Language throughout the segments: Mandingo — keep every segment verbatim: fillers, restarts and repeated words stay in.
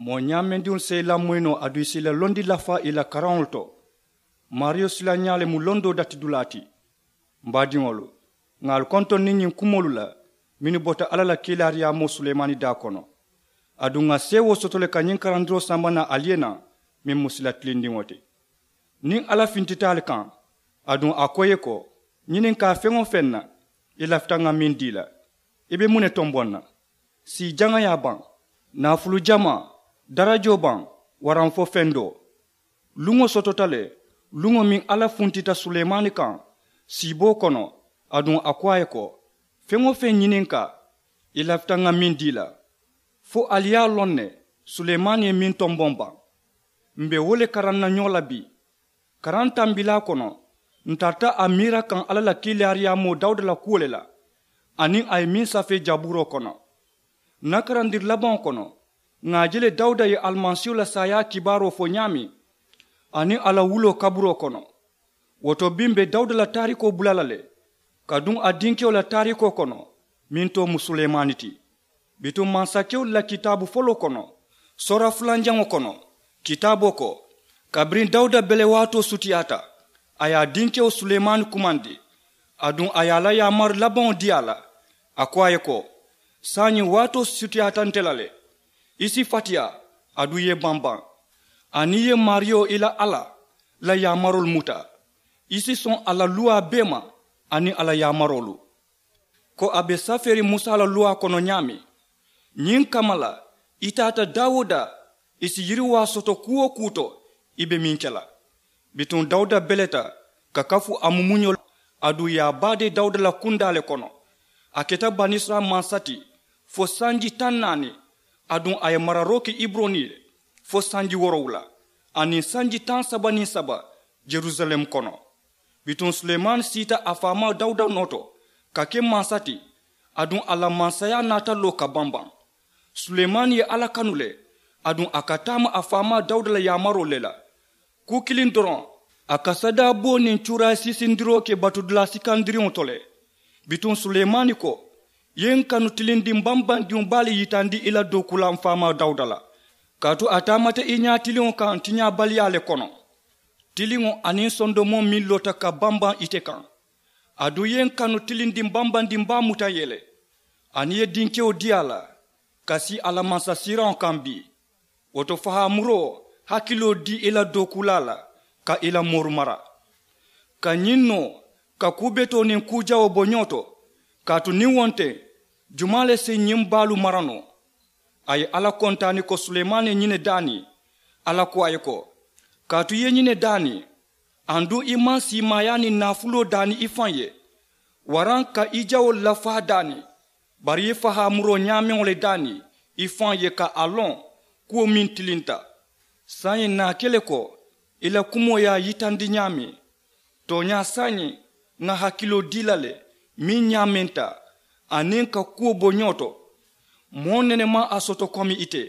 Moo ñaamendiŋolu si i lamoyi noo aduŋ i si i la londi lafaa i la karaŋolu to. Maariyo silañaa le mu londoo datidulaa ti. M baadiŋolu, ŋà ali kontondi ñiŋ kumoolu la mennu bota alla la kiilaariyaamoo sulemaani daa kono. Aduŋ ŋà seewoo soto le ka ñiŋ karandiroo samba naa ali ye naa, meŋ mu sila tilindiŋo ti. Niŋ alla fintita ali kaŋ, aduŋ a ko i ye ko, ñininkaa feŋ-wo-feŋ na, i lafita ŋà meŋ dii la, i be muŋ ne tomboŋ na? Sii jaŋayaa baŋ, naafulu jamaa, darajoo baŋ, waraŋ fo fendoo? Luŋo sotota le, luŋo meŋ alla funtita sulemaani kaŋ siiboo kono, aduŋ a ko a ye ko, feŋ-wo-feŋ ñininkaa, i lafita ŋà meŋ dii la. Fo ali ye a loŋ ne, sulemaani ye meŋ tomboŋ baŋ. M be wo le karaŋ na ñoo la bii. Karaŋ tambilaa kono, n tarata a miira kaŋ alla la kiilaariyaamoo dawuda la kuwo le la, aniŋ a ye meŋ safee jabuuroo kono. N na karandiri labaŋo kono, ŋà a je le dawuda ye alimasiihu la saayaa kibaaroo fo ñaameŋ, aniŋ a la wuloo kaburoo kono. Wo to bii m be dawuda la taarikoo bula la le, ka duŋ a dinkewo la taarikoo kono, meŋ too mu sulemaani ti. Bituŋ mansakewolu la kitaabu foloo kono, soora fulanjaŋo kono, kitaaboo ko, kabiriŋ dawuda bele waatoo sutiyaata, a ye a dinkewo sulemaani kumandi, aduŋ a ye a la yaamari labaŋo dii a la. A ko a ye ko, saayiŋ waatoo sutiyaata nte la le. I si fatiyaa, aduŋ i ye bambaŋ, aniŋ i ye maariyo i la alla la yaamaroolu muta. I si soŋ a la luwaa bee ma, aniŋ a la yaamaroolu. Ko a be safeeriŋ musa la luwaa kono ñaameŋ, ñiŋ kamma la, i taata daa-wo-daa, i si yiriwaa soto kuu-wo-kuu to, i be meŋ ke la. Bituŋ dawuda beleta ka kafu a mumuño la, aduŋ i ye a baadee dawuda la kundaa le kono. A keta banisirayila mansa ti fo sanji taŋ naani, aduŋ a ye mararoo ke iburoni ye fo sanji woorowula, aniŋ sanji taŋ saba niŋ saba, yerusalem kono. Bituŋ sulemaani siita a faamaa dawuda noo to ka ke mansa ti, aduŋ a la mansayaa naata loo ka bambaŋ. Sulemaani ye alla kanu le, aduŋ a ka taama a faamaa dawuda la yaamaroo le la. Kuu kiliŋ doroŋ, a ka sadaaboo niŋ cuurayi siisindiroo ke batudulaa sikandiriŋo to le. Bituŋ sulemaani ko, i ye n kanu tilindiŋ bambandiŋo baa le yitandi i la dookulaa m faamaa dawuda la, kaatu a taamata i ñaatiliŋo kaŋ tiñaabaliyaa le kono. Tiliŋo aniŋ sondomoo meŋ loota ka bambaŋ ite kaŋ. Aduŋ i ye n kanu tilindiŋ bambandiŋ baa muta n ye le, aniŋ i ye dinkewo dii a la ka sii a la mansasiiraŋo kaŋ bii. Wo to fahaamuroo hakiloo dii i la dookulaa la ka i la mooru mara, ka ñiŋ noo ka kuu betoo niŋ kuu jawoo bo ñoo to. Kaatu niŋ wo nte, jumaa le si ñiŋ baalu mara noo? A ye alla kontaani ko sulemaani ye ñiŋ ne daani. Alla ko a ye ko, kaatu i ye ñiŋ ne daani, aduŋ i maŋ siimaayaa niŋ naafuloo daani i faŋ ye, waraŋ ka i jawoolu lafaa daani, bari i ye fahaamuroo ñaameŋo le daani i faŋ ye ka a loŋ kuwo meŋ tilinta. Saayiŋ naa ke le ko i la kumoo ye a yitandi ñaameŋ. Tooñaa saayiŋ ŋa hakiloo dii la le meŋ ñaamenta, aniŋ ka kuwo bo ñoo to. Moo nene maŋ a soto komi ite,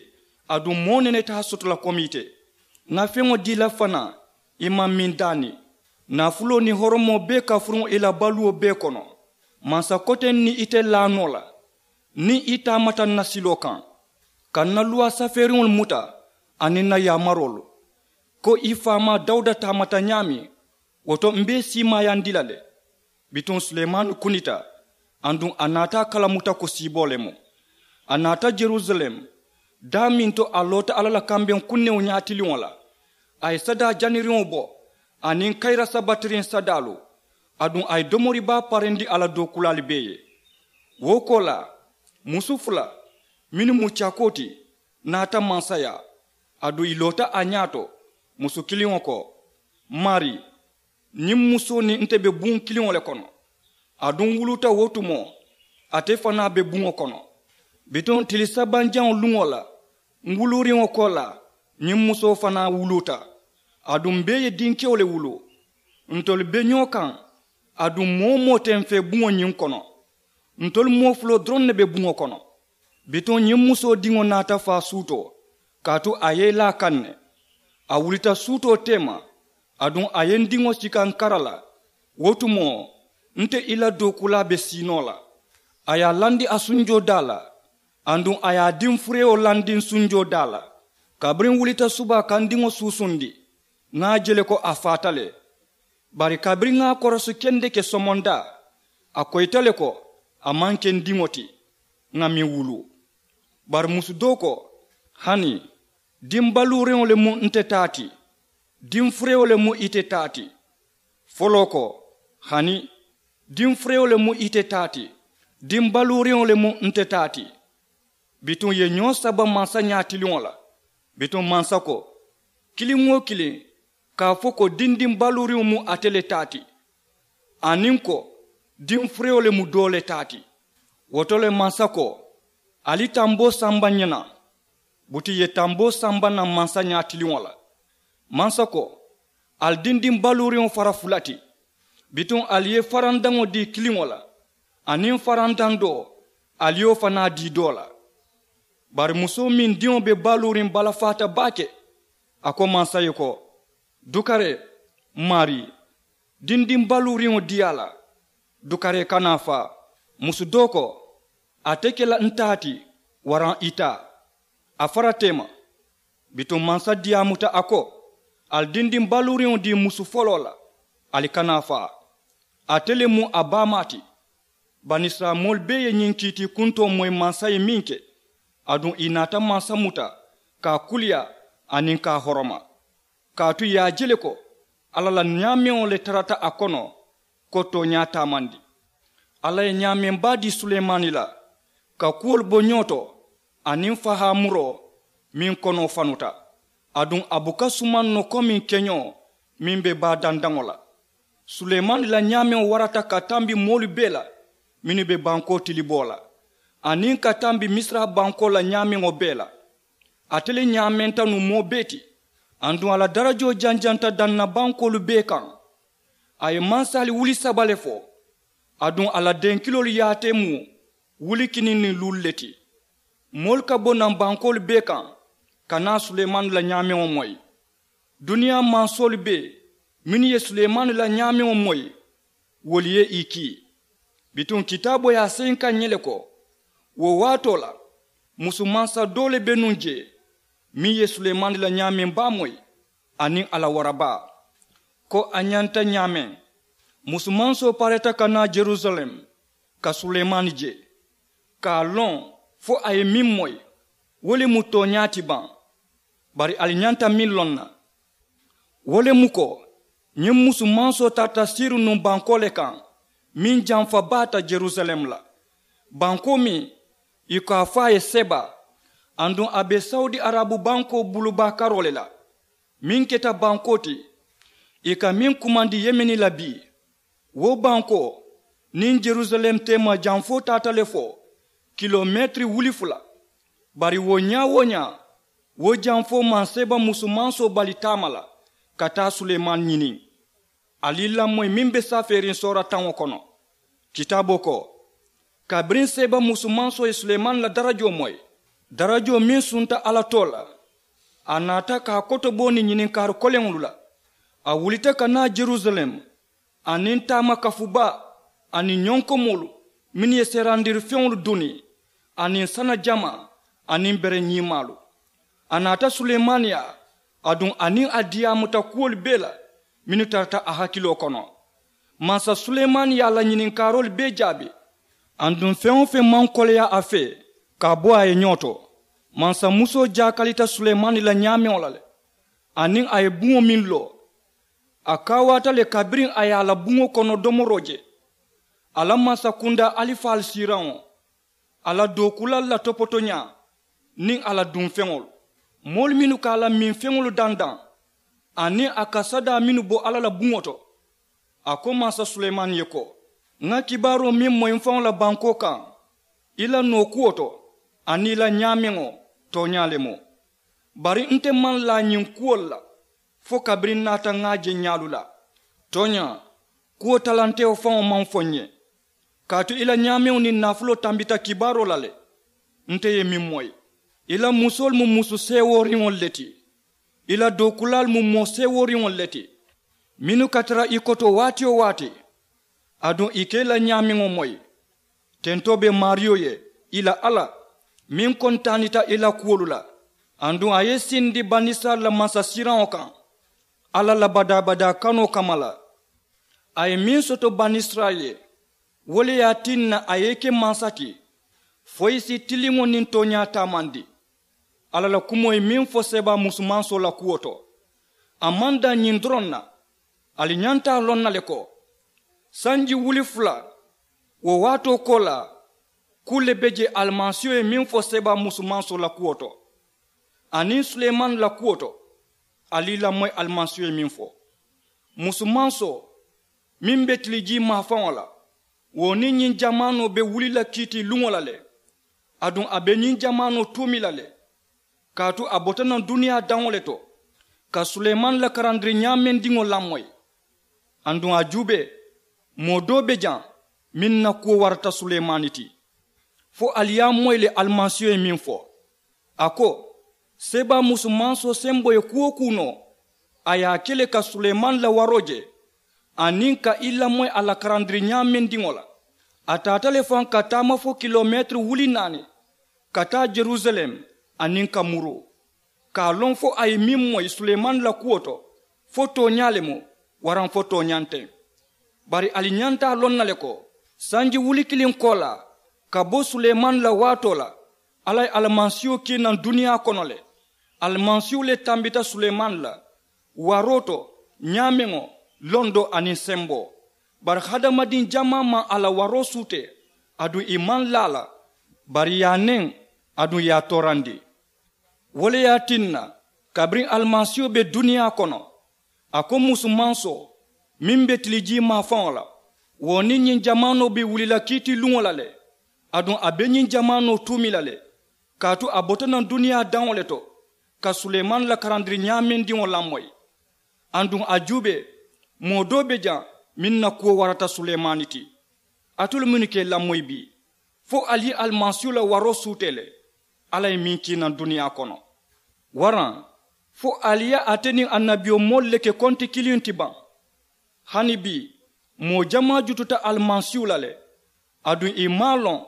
aduŋ moo nene te a soto la komi ite. Ŋa feŋo dii la fanaa i maŋ meŋ daani. Naafuloo niŋ horomoo bee ka furuŋ i la baluwo bee kono. Mansa koteŋ niŋ ite laa noo la, niŋ i taamata n na siloo kaŋ ka n na luwaa safeeriŋolu muta aniŋ n na yaamaroolu, ko i faamaa dawuda taamata ñaameŋ, wo to m be i siimaayandi la le. Bituŋ sulemaani kunita, aduŋ a naata a kalamuta ko siiboo le mu. A naata yerusalem, daa meŋ to a loota alla la kambeŋ kunnewo ñaatiliŋo la. A ye sadaa janiriŋo bo aniŋ kayira sabatiriŋ sadaalu, aduŋ a ye domori baa parendi a la dookulaalu bee ye. Wo koolaa, musu fula mennu mu cakoo ti naata mansayaa, aduŋ ì loota a ñaato. Musu kiliŋo ko, maarii, ñiŋ musoo niŋ nte be buŋo kiliŋo le kono. Aduŋ n wuluuta wo tumoo, ate fanaa be buŋo kono. Bituŋ tili sabanjaŋo luŋo la, n wuluuriŋo koolaa, ñiŋ musoo fanaa wuluuta. Aduŋ m bee ye dinkewo le wuluu. Ntolu be ñoo kaŋ, aduŋ moo-wo-moo te m fee buŋo ñiŋ kono. Ntolu moo fuloo doroŋ ne be buŋo kono. Bituŋ ñiŋ musoo diŋo naata faa suutoo, kaatu a ye i laa kaŋ ne. A wulita suutoo teema, aduŋ a ye n diŋo sika n kara la. Wo tumoo, nte i la dookulaa be sii noo la. A ye a landi a sunjoo daa la, aduŋ a ye a diŋ furewo landi n sunjoo daa la. Kabiriŋ n wulita subaa ka n diŋo suusundi, ŋa a je le ko a faata le. Bari kabiriŋ ŋa a korosi kendeke somondaa, a koyita le ko a maŋ ke n diŋo ti, ŋa meŋ wuluu. Bari musu doo ko, hani, diŋ baluuriŋo le mu nte taa ti, diŋ furewo le mu ite taa ti. Foloo ko, hani, diŋ furewo le mu ite taa ti, diŋ baluuriŋo le mu nte taa ti. Bituŋ ì ye ñoo saba mansañaa tiliŋo la. Bituŋ mansa ko, kiliŋ-wo-kiliŋ ka a fo ko dindiŋ baluuriŋo mu ate le taa ti, aniŋ ko diŋ furewo le mu doo le taa ti. Wo to le mansa ko, ali tamboo samba ñe naŋ. Buti ì ye tamboo samba naŋ mansañaa tiliŋo la. Mansa ko, ali dindiŋ baluuriŋo fara fula ti. Bituŋ ali ye farandaŋo dii kiliŋo la, aniŋ farandaŋ doo, ali ye wo fanaa dii doo la. Bari musoo meŋ diŋo be baluuriŋ balafaata baake, a ko mansa ye ko, dukaree, maarii, dindiŋ baluuriŋo dii a la. Dukaree kana a faa. Musu doo ko, a te ke la n taa ti, waraŋ i taa. A fara teema. Bituŋ mansa diyaamuta a ko, ali dindiŋ baluuriŋo dii musu foloo la, ali kana a faa. Ate le mu a baamaa ti. Banisirayila moolu bee ye ñiŋ kiitii kuntoo moyi mansa ye meŋ ke, aduŋ ì naata mansa muta ka a kuliyaa aniŋ ka a horoma. Kaatu ì ye a je le ko alla la ñaameŋo le tarata a kono, ko tooñaa taamandi. Alla ye ñaameŋ baa dii sulemaani la, ka kuwolu bo ñoo to, aniŋ fahaamuroo meŋ konoo fanuta. Aduŋ a buka sumaŋ noo komiŋ keñoo meŋ be baa dandaŋo la. Sulemaani la ñaameŋo warata ka tambi moolu bee la mennu be bankoo tiliboo la, aniŋ ka tambi misira bankoo la ñaameŋo bee la. Ate le ñaamenta nuŋ moo bee ti. Aduŋ a la darajoo janjanta danna bankoolu bee kaŋ. A ye mansaali wuli saba le fo. Aduŋ a la denkiloolu yaatee mu wuli kiniŋ niŋ luulu le ti. Moolu ka bo naŋ bankoolu bee kaŋ ka naa sulemaani la ñaameŋo moyi. Duniyaa mansoolu bee mennu ye sulemaani la ñaameŋo moyi, wolu ye ì kii. Bituŋ kitaaboo ye a seyinka ǹ ye le ko, wo waatoo la, musu mansa doo le be nuŋ jee meŋ ye sulemaani la ñaameŋ baa moyi, aniŋ a la wara baa. Ko a ñanta ñaameŋ, musu mansoo pareeta ka naa jerusalem ka sulemaani je, ka a loŋ fo a ye meŋ moyi, wo le mu tooñaa ti baŋ. Bari ali ñanta meŋ loŋ na, wo le mu ko ñiŋ musu mansoo tarata siiruŋ nuŋ bankoo le kaŋ meŋ jamfa baata jerusalem la, bankoo meŋ ì ko a fo a ye seba. Aduŋ a be sawudi arabu bankoo bulubaa karoo le la, meŋ keta bankoo ti ì ka meŋ kumandi yemeni la bii. Wo bankoo niŋ jerusalem teema jamfoo taata le fo kilometiri wuli fula. Bari wo ñaa-wo-ñaa, wo jamfoo maŋ seeba musu mansoo bali taama la ka taa sulemaani ñiniŋ. Ali i lamoyi meŋ be safeeriŋ soora taŋo kono. Kitaaboo ko, kabiriŋ seeba musu mansoo ye sulemaani la darajoo moyi, darajoo meŋ sunta alla too la, a naata ka a kotobooni ñininkaari koleŋolu la. A wulita ka naa jerusalem, aniŋ taama kafubaa, aniŋ ñonkomoolu mennu ye seerandiri feŋolu duni, aniŋ sana jamaa, aniŋ bere ñiimaalu. A naata sulemaani yaa, aduŋ a niŋ a diyaamuta kuwolu bee la mennu tarata a hakiloo kono. Mansa sulemaani ye a la ñininkaaroolu bee jaabi. Aduŋ feŋ-wo-feŋ maŋ koleyaa a fee ka a bo a ye ñoo to. Mansa musoo jaakalita sulemaani la ñaameŋo la le, aniŋ a ye buŋo meŋ loo, a kaawaata le kabiriŋ a ye a la buŋo kono domoroo je. A la mansakundaa alifaalu siiraŋo, a la dookulaalu la topotoñaa, niŋ a la duŋ feŋolu, moolu mennu ka a la miŋ feŋolu dandaŋ, aniŋ a ka sadaa mennu bo alla la buŋo to. A ko mansa sulemaani ye ko, ŋa kibaaroo meŋ moyi m faŋo la bankoo kaŋ, i la nookuwo to, aniŋ i la ñaameŋo, tooñaa le mu. Bari nte maŋ laa ñiŋ kuwolu la fo kabiriŋ n naata ŋa a je ñaalu la. Tooñaa, kuwo talantewo faŋo maŋ fo n ye. Kaatu i la ñaameŋo niŋ naafuloo tambita kibaaroo la le. Nte ye meŋ moyi, i la musoolu mu musu seewooriŋolu le ti. I la dookulaalu mu moo seewooriŋolu le ti, mennu ka tara i koto waati-wo-waati, aduŋ i ka i la ñaameŋo moyi. Tentoo be maariyo ye, i la alla, meŋ kontaanita i la kuwolu la. Aduŋ a ye sindi banisirayila mansasiiraŋo kaŋ alla la badaa-badaa kanoo kamma la. A ye meŋ soto banisirayila ye, wo le ye a tinna a ye i ke mansa ti fo i si tiliŋo niŋ tooñaa taamandi. Alla la kumoo ye meŋ fo seebaa musumansoo la kuwo to, a maŋ daŋ ñiŋ doroŋ na. Ali ñanta a loŋ na le ko sanji wuli fula wo waatoo koolaa, kuu le be je alimasiiho ye meŋ fo seebaa musumansoo la kuwo to, aniŋ sulemani la kuwo to. Ali i lamoyi alimasiiho ye meŋ fo, musumansoo meŋ be tilijii maafaŋo la, wo niŋ ñiŋ jamaanoo be wuli la kiitii luŋo la le. Aduŋ a be ñiŋ jamaanoo tuumi la le, kaatu a bota naŋ duniyaa daŋo le to ka sulemani la karandiri ñaamendiŋo lamoyi. Aduŋ a juubee, moo doo be jaŋ meŋ na kuwo warata sulemani ti. Fo ali ye a moyi le alimasiiho ye meŋ fo, a ko seebaa musumansoo semboo ye kuu-wo-kuu noo, a ye a ke le ka sulemani la waroo je aniŋ ka i lamoyi a la karandiri ñaamendiŋo la. A taata le faŋ ka taama fo kilomeetiri wuli naani ka taa jerusalem aniŋ ka muruu, ka a loŋ fo a ye meŋ moyi sulemani la kuwo to, fo tooñaa le mu waraŋ fo tooñaa nteŋ. Bari ali ñanta a loŋ na le ko sanji wuli kiliŋ koolaa ka bo sulemani la waatoo la, alla ye alimasiiho kii naŋ duniyaa kono le. Alimasiiho le tambita sulemani la waroo to ñaameŋo, londoo aniŋ semboo. Bari hadamadiŋ jamaa maŋ a la waroo suutee, aduŋ i maŋ laa a la, bari i ye a neŋ, aduŋ i ye a toorandi. Wo le ye a tinna kabiriŋ alimasiiho be duniyaa kono, a ko musumansoo meŋ be tilijii maafaŋo la, wo niŋ ñiŋ jamaanoo be wuli la kiitii luŋo la le. Aduŋ a be ñiŋ jamaanoo tuumi la le, kaatu a bota naŋ duniyaa daŋo le to ka sulemani la karandiri ñaamendiŋo lamoyi. Aduŋ a juubee, moo doo be jaŋ meŋ na kuwo warata sulemani ti. Alitolu mennu ka i lamoyi bii, fo ali ye alimasiiho la waroo suutee le, alla ye meŋ kii naŋ duniyaa kono. Waraŋ fo ali ye ate niŋ annabiyomoolu le ke konti kiliŋ ti baŋ? Hani bii, moo jamaa jututa alimasiiho la le, aduŋ i maŋ a loŋ,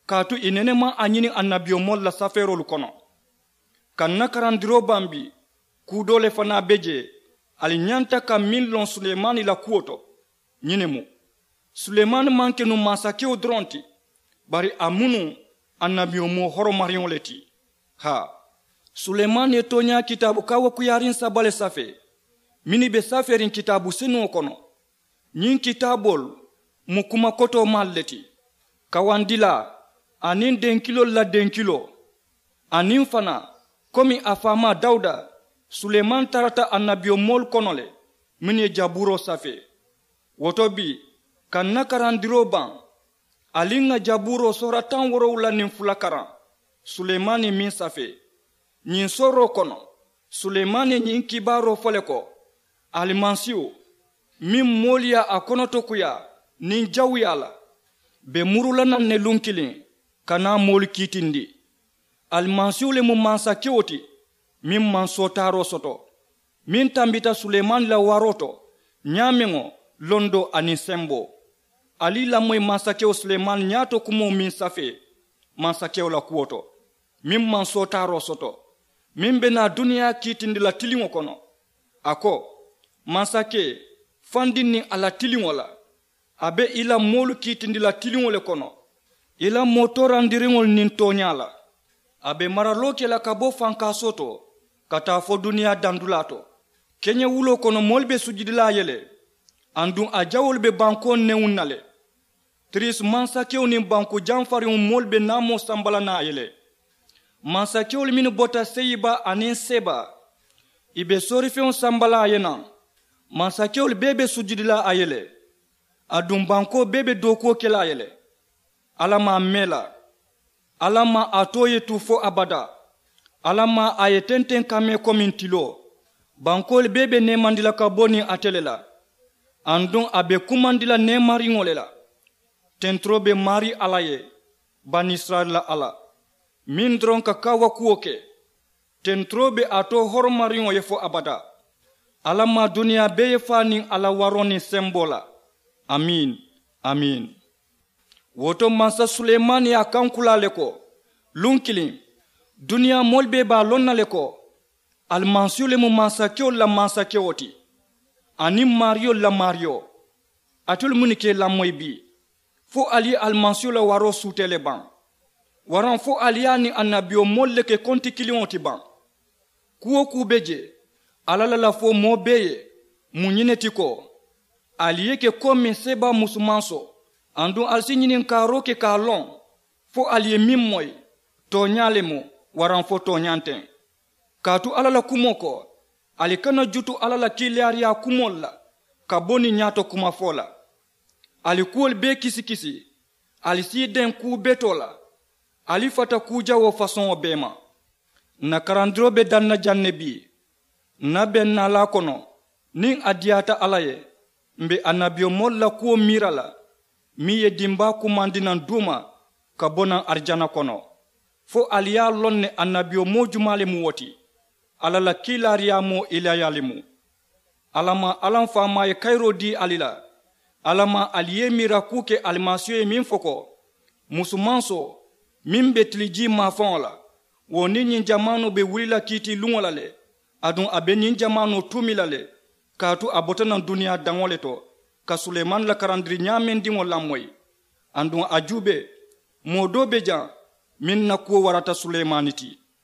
kaatu i nene maŋ a ñini annabiyomoolu la safeeroolu kono. Ka n na karandiroo bambi, kuu doo le fanaa be jee ali ñanta ka meŋ loŋ sulemani la kuwo to. Ñiŋ ne mu, sulemani maŋ ke nuŋ mansakewo doroŋ ti, bari a mu nuŋ annabiyomoo horomariŋo le ti. Haa, sulemani ye tooñaa kitaabu kawakuyaariŋ saba le safee mennu be safeeriŋ kitaabu senuŋo kono. Ñiŋ kitaaboolu mu kuma kotoomaalu le ti, kawandilaa aniŋ denkiloolu la denkiloo. Aniŋ fanaa, komi a faamaa dawuda, sulemani tarata annabiyomoolu kono le mennu ye jabuuroo safee. Wo to bii, ka n na karandiroo baŋ, ali ŋà jabuuroo soora taŋ woorowula niŋ fula karaŋ, sulemani ye meŋ safee. Ñiŋ sooroo kono, sulemani ye ñiŋ kibaaroo fo le ko, alimasiihu meŋ moolu ye a konotokuyaa niŋ jawuyaa la, be muru la naŋ ne luŋ kiliŋ ka naa moolu kiitindi. Alimasiihu le mu mansakewo ti meŋ maŋ sootaaroo soto, meŋ tambita sulemani la waroo to, ñaameŋo, londoo aniŋ semboo. Ali i lamoyi mansakewo sulemani ñaato kumoo meŋ safee mansakewo la kuwo to, meŋ maŋ sootaaroo soto, meŋ be naa duniyaa kiitindi la tiliŋo kono. A ko, mansakee, fandiŋ niŋ a la tiliŋo la, a be i la moolu kiitindi la tiliŋo le kono, i la moo toorandiriŋolu niŋ tooñaa la. A be maraloo ke la ka bo fankaasoo to ka taa fo duniyaa dandulaa to. Keñewuloo kono moolu be sujudi la a ye le, aduŋ a jawoolu be bankoo newuŋ na le. Tirisi mansakewo niŋ banku jamfariŋo moolu be naamoo samba la na a ye le. Mansakewolu mennu bota seyiba aniŋ seba, i be soorifeŋo samba la a ye naŋ. Mansakewolu bee be sujudi la a ye le, aduŋ bankoo bee be dookuwo ke la a ye le. Alla maŋ a mee la. Alla maŋ a too ye tu fo abadaa. Alla maŋ a ye tenteŋ ka mee komiŋ tiloo. Bankoolu bee be neemandi la ka bo niŋ ate le la, aduŋ a be kumandi la neemariŋo le la. Tenturoo be maarii alla ye, banisirayila la alla, meŋ doroŋ ka kaawakuwo ke. Tenturoo be a to horomariŋo ye fo abadaa. Alla maŋ duniyaa bee ye faa niŋ a la waroo niŋ semboo la. Amiin, amiin. Wo to mansa sulemani ye a kankulaa le ko, luŋ kiliŋ, Duniyaa moolu bee be a loŋ na le ko alimasiihu le mu mansakewolu la mansakewo ti, aniŋ maariyolu la maariyo. Alitolu munnu ka i lamoyi bii? Fo ali ye alimasiihu la waroo suutee le baŋ? Waraŋ fo ali ye a niŋ annabiyomoolu le ke konti kiliŋo ti baŋ? Kuu-wo-kuu be jee, alla la lafoo moo bee ye mu ñiŋ ne ti ko ali ye ke komiŋ seebaa musumansoo, aduŋ ali si ñininkaaroo ke ka a loŋ fo ali ye meŋ moyi, tooñaa le mu waraŋ fo tooñaa nteŋ? Kaatu alla la kumoo ko ali kana jutu alla la kiilaariyaa kumoolu la ka bo niŋ ñaato kumafoo la. Ali kuwolu bee kisikisi, ali si i deŋ kuu betoo la, ali fata kuu jawoo fasoŋo bee ma. Ǹ na karandiroo be daŋ na jaŋ ne bii. Ǹ na beŋ naalaa kono, niŋ a diyaata alla ye, m̀ be annabiyomoolu la kuwo miira la meŋ ye dimbaa kumandi naŋ duuma ka bo naŋ arijana kono. Fo ali ye a loŋ ne annabiyomoo jumaa le mu wo ti? Alla la kiilaariyaamoo ilaya le mu. Alla maŋ alla m faamaa ye kayiroo dii ali la? Alla maŋ ali ye i miira kuu ke alimasiiho ye meŋ fo ko musumansoo meŋ be tilijii maafaŋo la, wo niŋ ñiŋ jamaanoo be wuli la kiitiiluŋo la le, aduŋ a be ñiŋ jamaanoo tuumi la le. Kaatu a bota naŋ duniyaa daŋo le to ka suleemaani la karandiri ñaamendiŋo lamoyi. Aduŋ a juubee, moo doo be jaŋ meŋ na kuwo warata suleemaani ti.